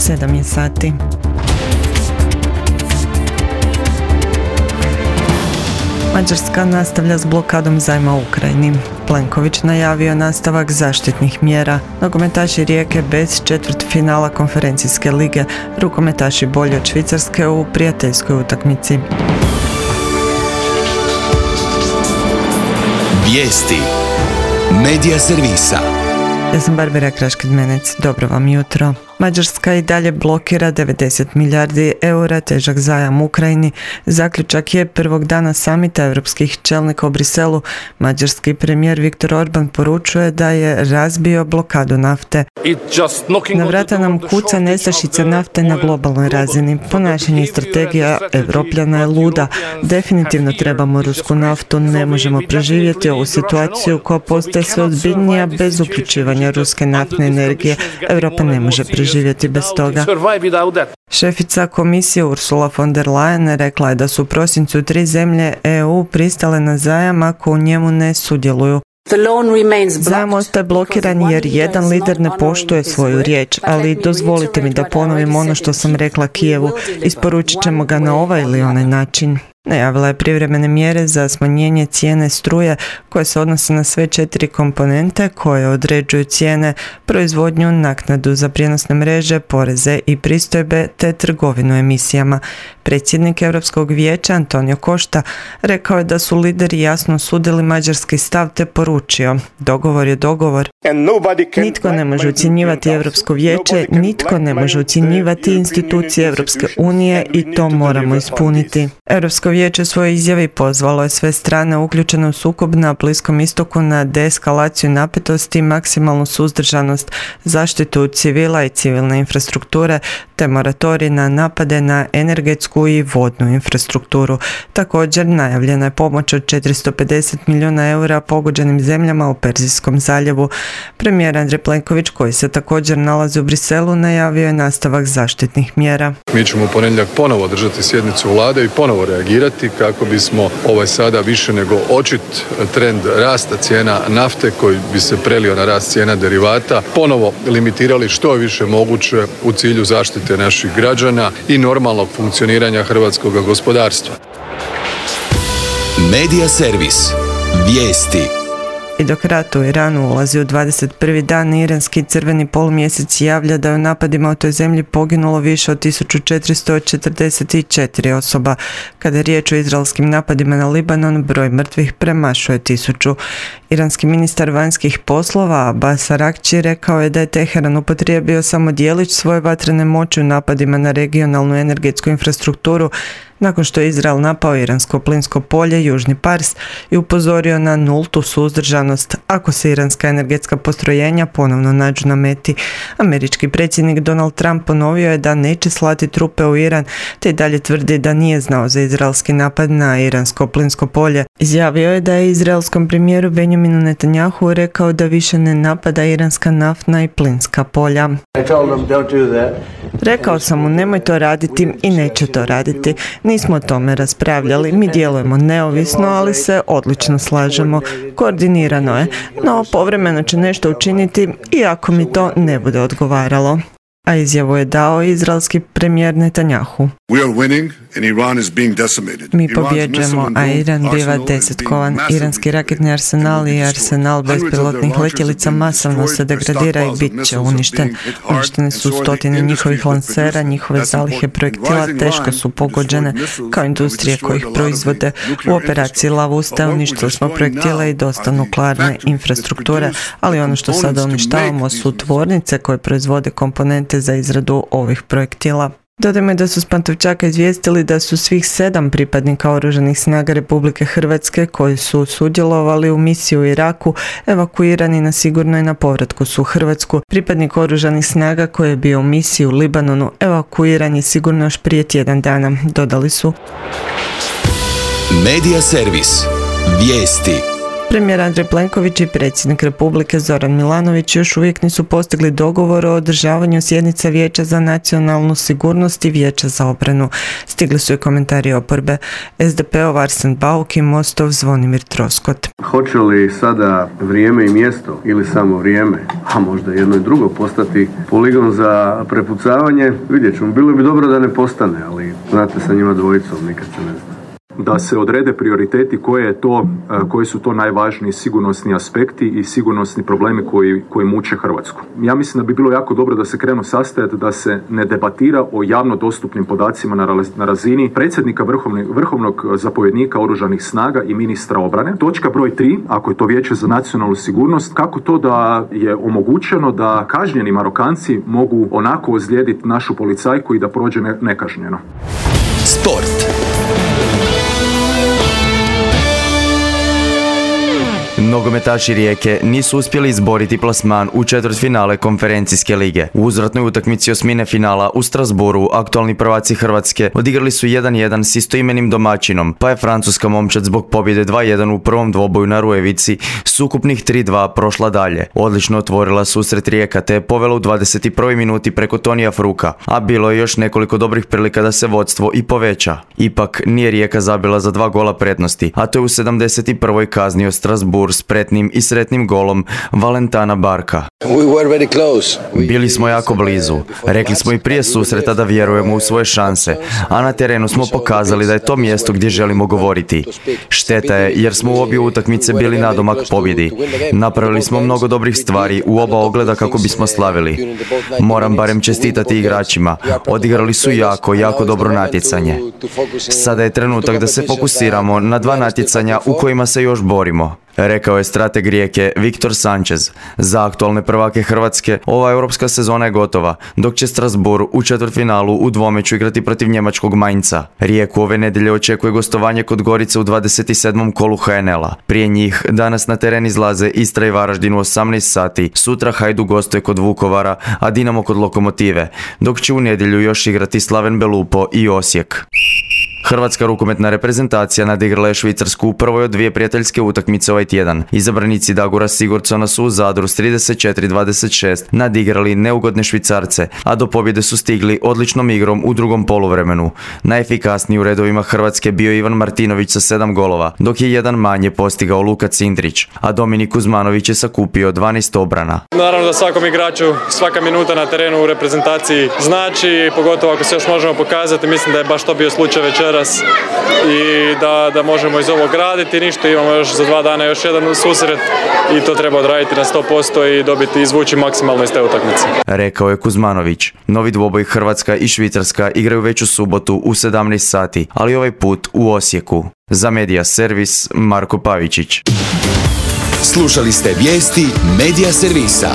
7 je sati. Mađarska nastavlja s blokadom zajma u Ukrajini. Plenković najavio nastavak zaštitnih mjera. Nogometaši Rijeke bez četvrtfinala konferencijske lige. Rukometaši bolji od Švicarske u prijateljskoj utakmici. Vijesti Medija servisa. Ja sam Barbara Kraškid-Menec. Dobro vam jutro. Mađarska i dalje blokira 90 milijardi eura težak zajam Ukrajini. Zaključak je prvog dana samita europskih čelnika u Briselu. Mađarski premijer Viktor Orban poručuje da je razbio blokadu nafte. Na vrata nam kuca nestašica nafte na globalnoj razini. Ponašanje i strategija Evropljana je luda. Definitivno trebamo rusku naftu. Ne možemo preživjeti ovu situaciju koja postaje sve ozbiljnija bez uključivanja ruske naftne energije. Europa ne može preživjeti bez toga. Šefica komisije Ursula von der Leyen rekla je da su u prosincu 3 zemlje EU pristale na zajam ako u njemu ne sudjeluju. Zajam ostaje blokiran jer jedan lider ne poštuje svoju riječ, ali dozvolite mi da ponovim ono što sam rekla Kijevu. Isporučit ćemo ga na ovaj ili onaj način. Najavila je privremene mjere za smanjenje cijene struje koje se odnose na sve 4 komponente koje određuju cijene, proizvodnju, naknadu za prijenosne mreže, poreze i pristojbe te trgovinu emisijama. Predsjednik Europskog vijeća Antonio Costa rekao je da su lideri jasno osudili mađarski stav te poručio: dogovor je dogovor. Nitko ne može ucjenjivati Europsko vijeće, nitko ne može ucjenjivati institucije Europske unije i to moramo ispuniti. Europsko vijeće u svojoj izjavi pozvalo je sve strane uključene u sukob na Bliskom istoku na deeskalaciju napetosti i maksimalnu suzdržanost, zaštitu civila i civilne infrastrukture te moratorij na napade na energetsku i vodnu infrastrukturu. Također najavljena je pomoć od 450 milijuna eura pogođenim zemljama u Perzijskom zaljevu. Premijer Andrej Plenković, koji se također nalazi u Briselu, najavio je nastavak zaštitnih mjera. Mi ćemo u ponedjeljak ponovo održati sjednicu vlade i ponovo reagirati kako bismo ovaj sada više nego očit trend rasta cijena nafte koji bi se prelio na rast cijena derivata ponovo limitirali što je više moguće u cilju zaštite naših građana i normalnog funkcioniranja hrvatskog gospodarstva. Medija servis. Vijesti. I dok rat u Iranu ulazi u 21. dan, iranski crveni polumjesec javlja da je u napadima u toj zemlji poginulo više od 1444 osoba. Kada je riječ o izraelskim napadima na Libanon, broj mrtvih premašuje 1000. Iranski ministar vanjskih poslova Abbas Araghči rekao je da je Teheran upotrijebio samo djelić svoje vatrene moći u napadima na regionalnu energetsku infrastrukturu nakon što je Izrael napao iransko plinsko polje Južni Pars i upozorio na nultu suzdržanost ako se iranska energetska postrojenja ponovno nađu na meti. Američki predsjednik Donald Trump ponovio je da neće slati trupe u Iran, te i dalje tvrdi da nije znao za izraelski napad na iransko plinsko polje. Izjavio je da je izraelskom premijeru Benjaminu Netanjahu rekao da više ne napada iranska naftna i plinska polja. Rekao sam mu nemoj to raditi i neće to raditi. Nismo o tome raspravljali, mi djelujemo neovisno, ali se odlično slažemo. Koordinirano je, no povremeno će nešto učiniti iako mi to ne bude odgovaralo. A izjavu je dao izraelski premijer Netanjahu. Mi pobjeđujemo, a Iran biva desetkovan. Iranski raketni arsenal i arsenal bespilotnih letjelica masovno se degradira i bit će uništen. Uništene su stotine njihovih lansera, njihove zalihe projektila teško su pogođene, kao industrije koje ih proizvode. U operaciji Lavusta uništili smo projektile i dosta nuklearne infrastrukture, ali ono što sada uništavamo su tvornice koje proizvode komponente za izradu ovih projektila. Dodajmo da su s Pantovčaka izvijestili da su svih 7 pripadnika Oružanih snaga Republike Hrvatske koji su sudjelovali u misiji u Iraku evakuirani na sigurno i na povratku su u Hrvatsku. Pripadnik Oružanih snaga koji je bio u misiji u Libanonu evakuiran je sigurno još prije tjedan dana, dodali su. Medija servis. Vijesti. Premijer Andrej Plenković i predsjednik Republike Zoran Milanović još uvijek nisu postigli dogovor o održavanju sjednice Vijeća za nacionalnu sigurnost i Vijeća za obranu. Stigli su i komentari oporbe. SDP-ov Arsen Bauk i Mostov Zvonimir Troskot. Hoće li sada vrijeme i mjesto ili samo vrijeme, a možda jedno i drugo, postati poligon za prepucavanje? Vidjet ćemo. Bilo bi dobro da ne postane, ali znate, sa njima dvojicom nikad se ne zna. Da se odrede prioriteti koji su to najvažniji sigurnosni aspekti i sigurnosni problemi koji muče Hrvatsku. Ja mislim da bi bilo jako dobro da se krenu sastajati, da se ne debatira o javno dostupnim podacima na razini predsjednika vrhovnog zapovjednika oružanih snaga i ministra obrane. Točka broj 3, ako je to Vijeće za nacionalnu sigurnost, kako to da je omogućeno da kažnjeni Marokanci mogu onako ozlijediti našu policajku i da prođe nekažnjeno. Sport. Nogometaši Rijeke nisu uspjeli izboriti plasman u četvrtfinale konferencijske lige. U uzvratnoj utakmici osmine finala u Strasbourgu aktualni prvaci Hrvatske odigrali su 1-1 s istoimenim domaćinom, pa je francuska momčad zbog pobjede 2-1 u prvom dvoboju na Rujevici s ukupnih 3-2 prošla dalje. Odlično otvorila susret Rijeka te je povela u 21. minuti preko Tonija Fruka, a bilo je još nekoliko dobrih prilika da se vodstvo i poveća. Ipak nije Rijeka zabila za 2 gola prednosti, a to je u 71. kaznio Strasbourg spretnim i sretnim golom Valentana Barka. Bili smo jako blizu. Rekli smo i prije susreta da vjerujemo u svoje šanse, a na terenu smo pokazali da je to mjesto gdje želimo govoriti. Šteta je jer smo u obje utakmice bili nadomak pobjedi. Napravili smo mnogo dobrih stvari u oba ogleda kako bismo slavili. Moram barem čestitati igračima. Odigrali su jako dobro natjecanje. Sada je trenutak da se fokusiramo na 2 natjecanja u kojima se još borimo, rekao je strateg Rijeke Viktor Sanchez. Za aktualne prvake Hrvatske ova europska sezona je gotova, dok će Strasbourg u četvrtfinalu u dvomeću igrati protiv njemačkog Mainza. Rijeku ove nedjelje očekuje gostovanje kod Gorice u 27. kolu HNL-a. Prije njih danas na teren izlaze Istra i Varaždin u 18 sati, sutra Hajduk gostuje kod Vukovara, a Dinamo kod Lokomotive, dok će u nedjelju još igrati Slaven Belupo i Osijek. Hrvatska rukometna reprezentacija nadigrala je Švicarsku u prvoj od 2 prijateljske utakmice ovaj tjedan. Izabranici Dagora Sigurdsona su u Zadru s 34-26 nadigrali neugodne Švicarce, a do pobjede su stigli odličnom igrom u drugom poluvremenu. Najefikasniji u redovima Hrvatske bio Ivan Martinović sa 7 golova, dok je jedan manje postigao Luka Cindrić, a Dominik Kuzmanović je sakupio 12 obrana. Naravno da svakom igraču svaka minuta na terenu u reprezentaciji znači, pogotovo ako se još možemo pokazati. Mislim da je baš to bio slučaj večeras i da možemo iz ovog raditi. Ništa, imamo još za 2 dana još jedan susret i to treba odraditi na 100% i dobiti, izvući maksimalno iz te utakmice, rekao je Kuzmanović. Novi dvoboj Hrvatska i Švicarska igraju već u subotu u 17 sati, ali ovaj put u Osijeku. Za Media Servis Marko Pavičić. Slušali ste vijesti Media Servisa.